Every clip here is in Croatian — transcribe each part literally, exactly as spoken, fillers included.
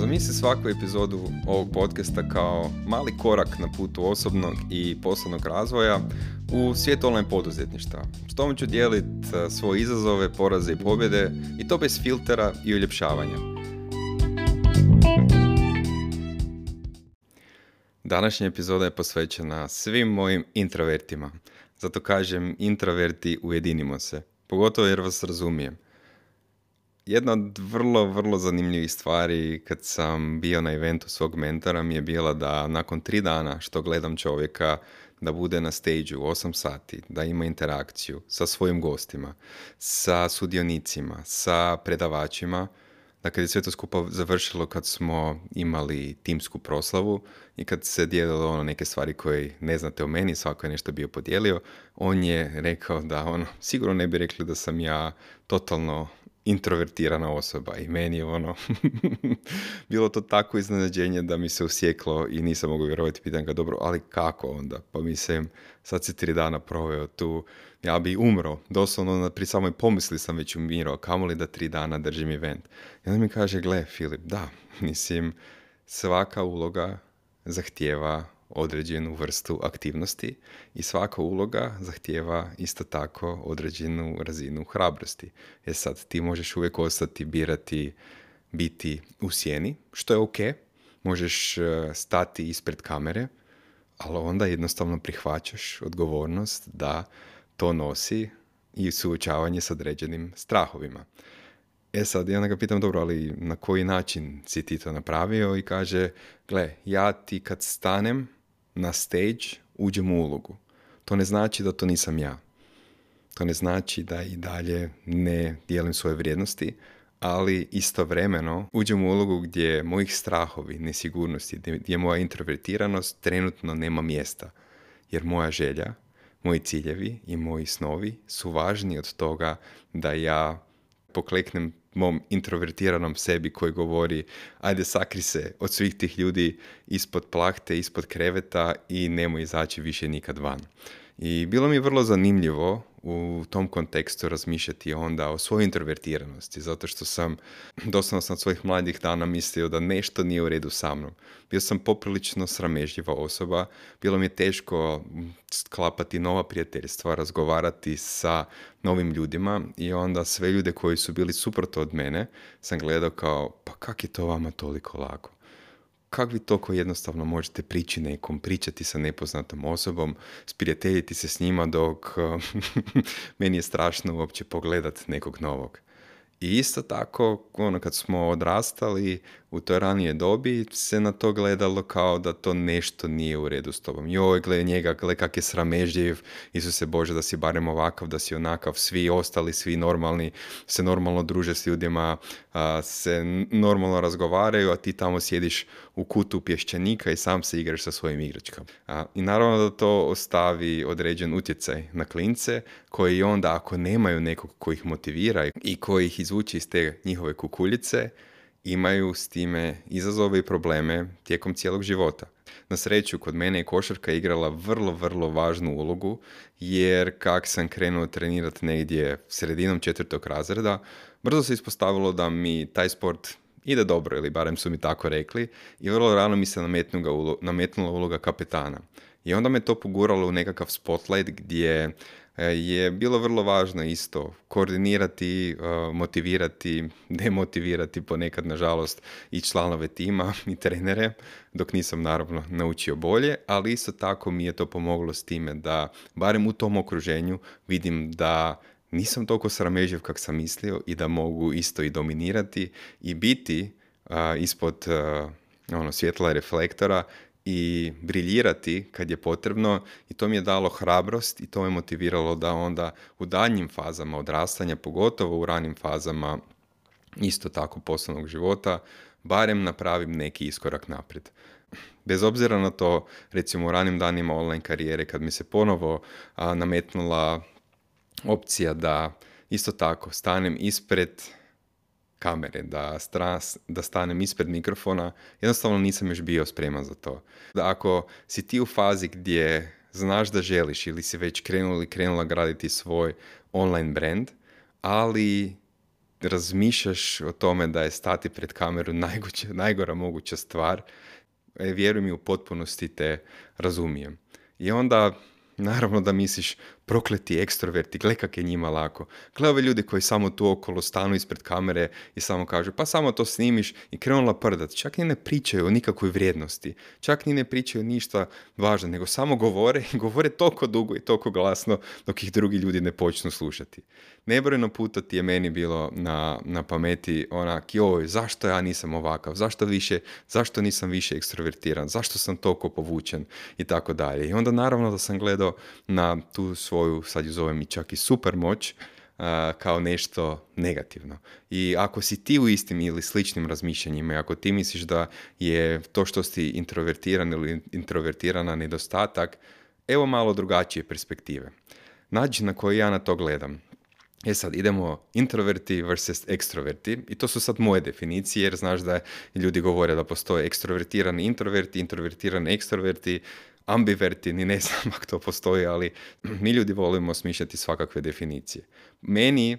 Zamisli svaku epizodu ovog podcasta kao mali korak na putu osobnog i poslovnog razvoja u svijet online poduzetništva. S tom ću dijeliti svoje izazove, poraze i pobjede i to bez filtera i uljepšavanja. Današnja epizoda je posvećena svim mojim introvertima. Zato kažem introverti, ujedinimo se. Pogotovo jer vas razumijem. Jedna od vrlo, vrlo zanimljivih stvari kad sam bio na eventu svog mentora mi je bila da nakon tri dana što gledam čovjeka da bude na stage u osam sati, da ima interakciju sa svojim gostima, sa sudionicima, sa predavačima, da kad je sve to skupa završilo kad smo imali timsku proslavu i kad se dijelilo ono neke stvari koje ne znate o meni, svako je nešto bio podijelio, on je rekao da ono, sigurno ne bi rekli da sam ja totalno introvertirana osoba i meni je ono bilo to tako iznenađenje da mi se usjeklo i nisam mogao vjerovati. Pitam ga, dobro, ali kako onda? Pa mislim, sad si tri dana proveo tu, ja bi umro, doslovno pri samoj pomisli sam već umirao, kamoli da tri dana držim event. I onda mi kaže, gle Filip, da, mislim, svaka uloga zahtijeva određenu vrstu aktivnosti i svaka uloga zahtijeva isto tako određenu razinu hrabrosti. E sad, ti možeš uvijek ostati, birati, biti u sjeni, što je ok, možeš stati ispred kamere, ali onda jednostavno prihvaćaš odgovornost da to nosi i suočavanje s određenim strahovima. E sad, ja onda ga pitam, dobro, ali na koji način si ti to napravio? I kaže, gle, ja ti kad stanem na stage uđem u ulogu. To ne znači da to nisam ja. To ne znači da i dalje ne dijelim svoje vrijednosti, ali istovremeno uđem u ulogu gdje mojih strahovi, nesigurnosti, gdje moja introvertiranost trenutno nema mjesta. Jer moja želja, moji ciljevi i moji snovi su važniji od toga da ja pokleknem mom introvertiranom sebi koji govori ajde sakri se od svih tih ljudi ispod plahte, ispod kreveta i nemoj izaći više nikad van. I bilo mi je vrlo zanimljivo u tom kontekstu razmišljati onda o svojoj introvertiranosti, zato što sam doslovno sam od svojih mladih dana mislio da nešto nije u redu sa mnom. Bio sam poprilično sramežljiva osoba, bilo mi je teško sklapati nova prijateljstva, razgovarati sa novim ljudima i onda sve ljude koji su bili suprotno od mene sam gledao kao, pa kak je to vama toliko lako? Kako vi toliko jednostavno možete prići nekom, pričati sa nepoznatom osobom, sprijateljiti se s njima dok meni je strašno uopće pogledat nekog novog. I isto tako, ono, kad smo odrastali u toj ranije dobi, se na to gledalo kao da to nešto nije u redu s tobom. Joj, gle njega, gle kak je sramežljiv, Isuse Bože, da si barem ovakav, da si onakav, svi ostali, svi normalni, se normalno druže s ljudima, a, se normalno razgovaraju, a ti tamo sjediš u kutu pješčanika i sam se igraš sa svojim igračkama. A, I naravno da to ostavi određen utjecaj na klince, koji onda ako nemaju nekog koji ih motivira i koji ih izvuče iz te njihove kukuljice, imaju s time izazove i probleme tijekom cijelog života. Na sreću, kod mene je košarka igrala vrlo, vrlo važnu ulogu, jer kak sam krenuo trenirati negdje sredinom četvrtog razreda, brzo se ispostavilo da mi taj sport ide dobro, ili barem su mi tako rekli, i vrlo rano mi se nametnula uloga kapetana. I onda me to poguralo u nekakav spotlight gdje je bilo vrlo važno isto koordinirati, motivirati, demotivirati ponekad nažalost i članove tima i trenere, dok nisam naravno naučio bolje, ali isto tako mi je to pomoglo s time da barem u tom okruženju vidim da nisam toliko sramežljiv kak sam mislio i da mogu isto i dominirati i biti uh, ispod uh, ono, svjetla reflektora i briljirati kad je potrebno, i to mi je dalo hrabrost i to me motiviralo da onda u daljnjim fazama odrastanja, pogotovo u ranim fazama isto tako poslovnog života, barem napravim neki iskorak naprijed. Bez obzira na to, recimo u ranim danima online karijere, kad mi se ponovo a, nametnula opcija da isto tako stanem ispred kamere, da, stras, da stanem ispred mikrofona, jednostavno nisam još bio spreman za to. Da ako si ti u fazi gdje znaš da želiš ili si već krenula ili krenula graditi svoj online brand, ali razmišljaš o tome da je stati pred kameru najgoća, najgora moguća stvar, e, vjeruj mi, u potpunosti te razumijem. I onda, naravno da misliš, prokleti ekstroverti, gle kak je njima lako. Gle ove ljudi koji samo tu okolo stanu ispred kamere i samo kažu, pa samo to snimiš i krenu laprdat. Čak ni ne pričaju o nikakvoj vrijednosti. Čak ni ne pričaju ništa važno, nego samo govore i govore toliko dugo i toliko glasno dok ih drugi ljudi ne počnu slušati. Nebrojeno puta ti je meni bilo na, na pameti onak, joj, zašto ja nisam ovakav, zašto više, zašto nisam više ekstrovertiran, zašto sam toliko povučen i tako dalje. I onda naravno da sam gledao na tu svoju, sad ju zovem i čak i super moć, uh, kao nešto negativno. I ako si ti u istim ili sličnim razmišljanjima i ako ti misliš da je to što si introvertiran ili introvertirana nedostatak, evo malo drugačije perspektive. Način na koji ja na to gledam. E sad, idemo introverti versus ekstroverti i to su sad moje definicije, jer znaš da ljudi govore da postoje ekstrovertirani introverti, introvertirani ekstroverti, ambiverti, ni ne znam ako to postoji, ali mi ljudi volimo smišljati svakakve definicije. Meni,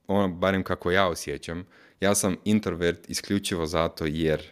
ono, barem kako ja osjećam, ja sam introvert isključivo zato jer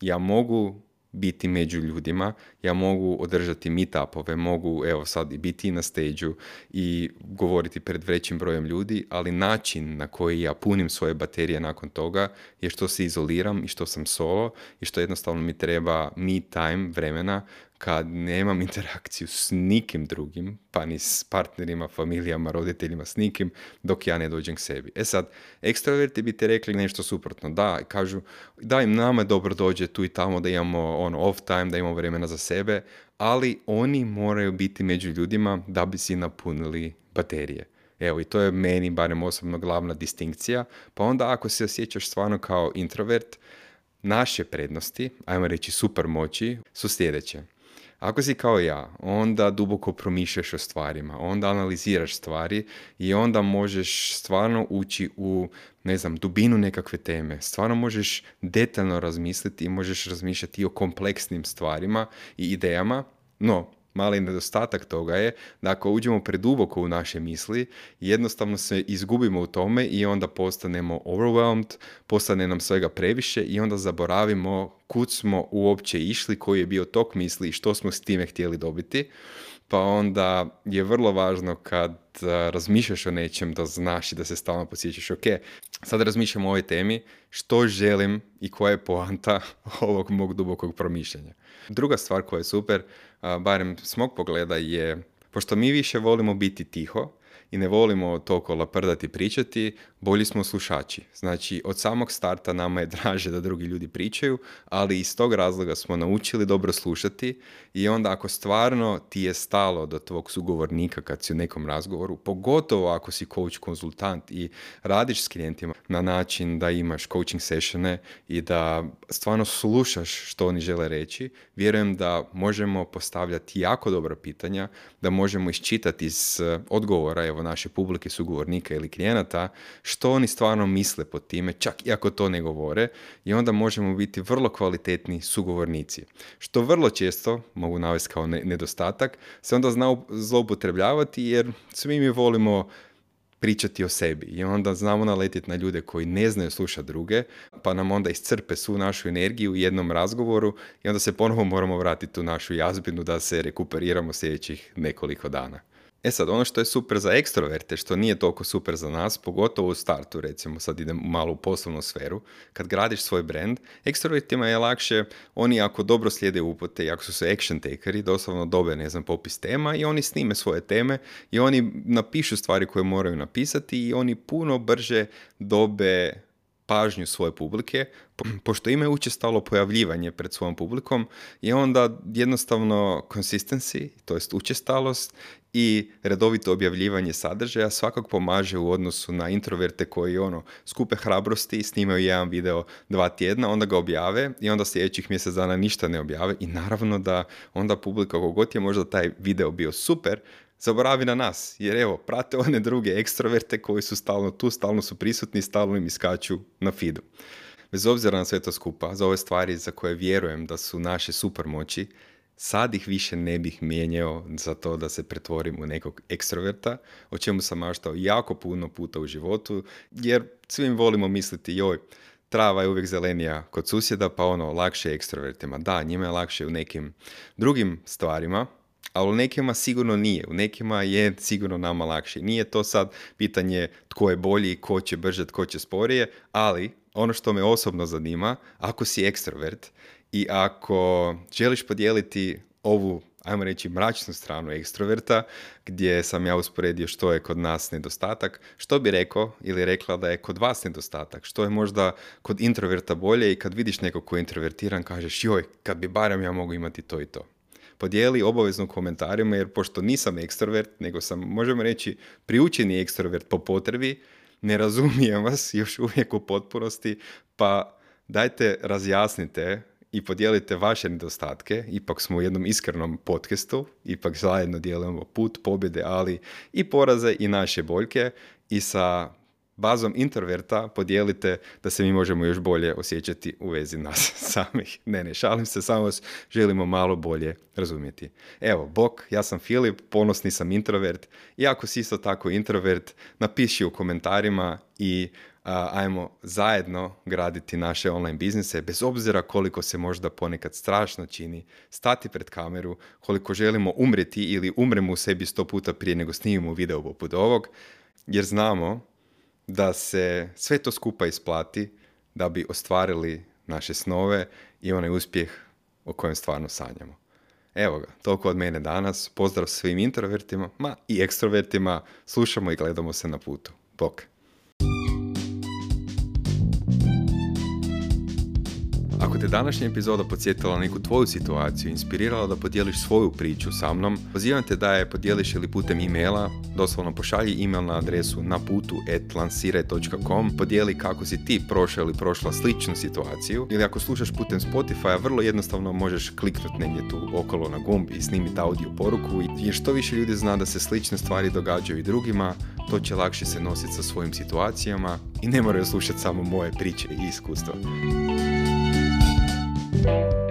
ja mogu biti među ljudima, ja mogu održati meetupove, mogu evo sad i biti na stage-u i govoriti pred većim brojem ljudi, ali način na koji ja punim svoje baterije nakon toga je što se izoliram i što sam solo i što jednostavno mi treba me time, vremena, kad nemam interakciju s nikim drugim, pa ni s partnerima, familijama, roditeljima, s nikim, dok ja ne dođem k sebi. E sad, ekstroverti bi te rekli nešto suprotno. Da, kažu, da im nama dobro dođe tu i tamo da imamo ono, off time, da imamo vremena za sebe, ali oni moraju biti među ljudima da bi si napunili baterije. Evo, i to je meni, barem osobno, glavna distinkcija. Pa onda ako se osjećaš stvarno kao introvert, naše prednosti, ajmo reći super moći, su sljedeće. Ako si kao ja, onda duboko promišljaš o stvarima, onda analiziraš stvari i onda možeš stvarno ući u, ne znam, dubinu nekakve teme. Stvarno možeš detaljno razmisliti i možeš razmišljati i o kompleksnim stvarima i idejama, no mali nedostatak toga je da ako uđemo preduboko u naše misli, jednostavno se izgubimo u tome i onda postanemo overwhelmed, postane nam svega previše i onda zaboravimo kud smo uopće išli, koji je bio tok misli i što smo s time htjeli dobiti. Pa onda je vrlo važno kad uh, razmišljaš o nečem da znaš i da se stalno podsjećaš, ok, sad razmišljam o ovoj temi, što želim i koja je poanta ovog mog dubokog promišljanja. Druga stvar koja je super, uh, barem s mog pogleda, je, pošto mi više volimo biti tiho i ne volimo toliko laprdati pričati, bolji smo slušači. Znači, od samog starta nama je draže da drugi ljudi pričaju, ali iz tog razloga smo naučili dobro slušati i onda ako stvarno ti je stalo do tvog sugovornika kad si u nekom razgovoru, pogotovo ako si coach, konzultant i radiš s klijentima na način da imaš coaching sessione i da stvarno slušaš što oni žele reći, vjerujem da možemo postavljati jako dobra pitanja, da možemo iščitati iz odgovora evo naše publike, sugovornika ili klijenata, što oni stvarno misle pod time, čak i ako to ne govore, i onda možemo biti vrlo kvalitetni sugovornici. Što vrlo često, mogu navesti kao nedostatak, se onda zna zloupotrebljavati jer svi mi volimo pričati o sebi i onda znamo naletiti na ljude koji ne znaju slušati druge, pa nam onda iscrpe svu našu energiju u jednom razgovoru i onda se ponovo moramo vratiti u našu jazbinu da se rekuperiramo sljedećih nekoliko dana. E sad, ono što je super za ekstroverte, što nije toliko super za nas, pogotovo u startu, recimo sad idem malo u poslovnu sferu, kad gradiš svoj brand, ekstrovertima je lakše, oni ako dobro slijede upute i ako su se action takeri, doslovno dobe, ne znam, popis tema i oni snime svoje teme i oni napišu stvari koje moraju napisati i oni puno brže dobe pažnju svoje publike, po, pošto imaju učestalo pojavljivanje pred svojom publikom i onda jednostavno consistency, to jest učestalost i redovito objavljivanje sadržaja svakako pomaže u odnosu na introverte koji ono skupe hrabrosti i snimaju jedan video dva tjedna, onda ga objave i onda sljedećih mjesec dana ništa ne objave i naravno da onda publika kogod je možda taj video bio super, zaboravi na nas, jer evo, prate one druge ekstroverte koji su stalno tu, stalno su prisutni, stalno im iskaču na feedu. Bez obzira na sve to skupa, za ove stvari za koje vjerujem da su naše supermoći, sad ih više ne bih mijenjao za to da se pretvorim u nekog ekstroverta, o čemu sam maštao jako puno puta u životu, jer svim volimo misliti, joj, trava je uvijek zelenija kod susjeda, pa ono, lakše je ekstrovertima. Da, njima je lakše u nekim drugim stvarima, ali u nekima sigurno nije. U nekima je sigurno nama lakše. Nije to sad pitanje tko je bolji, ko će brže, tko će sporije, ali ono što me osobno zanima, ako si ekstrovert i ako želiš podijeliti ovu, ajmo reći, mračnu stranu ekstroverta, gdje sam ja usporedio što je kod nas nedostatak, što bi rekao ili rekla da je kod vas nedostatak, što je možda kod introverta bolje i kad vidiš nekog ko je introvertiran, kažeš joj, kad bi barem ja mogu imati to i to. Podijeli obavezno u komentarima, jer pošto nisam ekstrovert, nego sam, možemo reći, priučeni ekstrovert po potrebi, ne razumijem vas još uvijek u potpunosti, pa dajte razjasnite i podijelite vaše nedostatke. Ipak smo u jednom iskrenom podcastu, ipak zajedno dijelimo put pobjede, ali i poraze i naše boljke, i sa bazom introverta podijelite da se mi možemo još bolje osjećati u vezi nas samih. Ne, ne, šalim se, samo vas želimo malo bolje razumjeti. Evo, bok, ja sam Filip, ponosni sam introvert, i ako si isto tako introvert, napiši u komentarima i a, ajmo zajedno graditi naše online biznise, bez obzira koliko se možda ponekad strašno čini stati pred kameru, koliko želimo umreti ili umremo u sebi sto puta prije nego snimimo video poput ovog, jer znamo da se sve to skupa isplati da bi ostvarili naše snove i onaj uspjeh o kojem stvarno sanjamo. Evo ga, toliko od mene danas. Pozdrav svim introvertima, ma i ekstrovertima. Slušamo i gledamo se na putu. Bok! Ako te današnja epizoda podsjetila neku tvoju situaciju, inspirirala da podijeliš svoju priču sa mnom, pozivam te da je podijeliš ili putem e-maila, doslovno pošalji e-mail na adresu naputu at lansiraj dot com, podijeli kako si ti prošao ili prošla sličnu situaciju, ili ako slušaš putem Spotify, vrlo jednostavno možeš kliknuti negdje tu okolo na gumb i snimiti audio poruku, jer što više ljudi zna da se slične stvari događaju i drugima, to će lakše se nositi sa svojim situacijama i ne moraju slušati samo moje priče i iskustva. Thank you.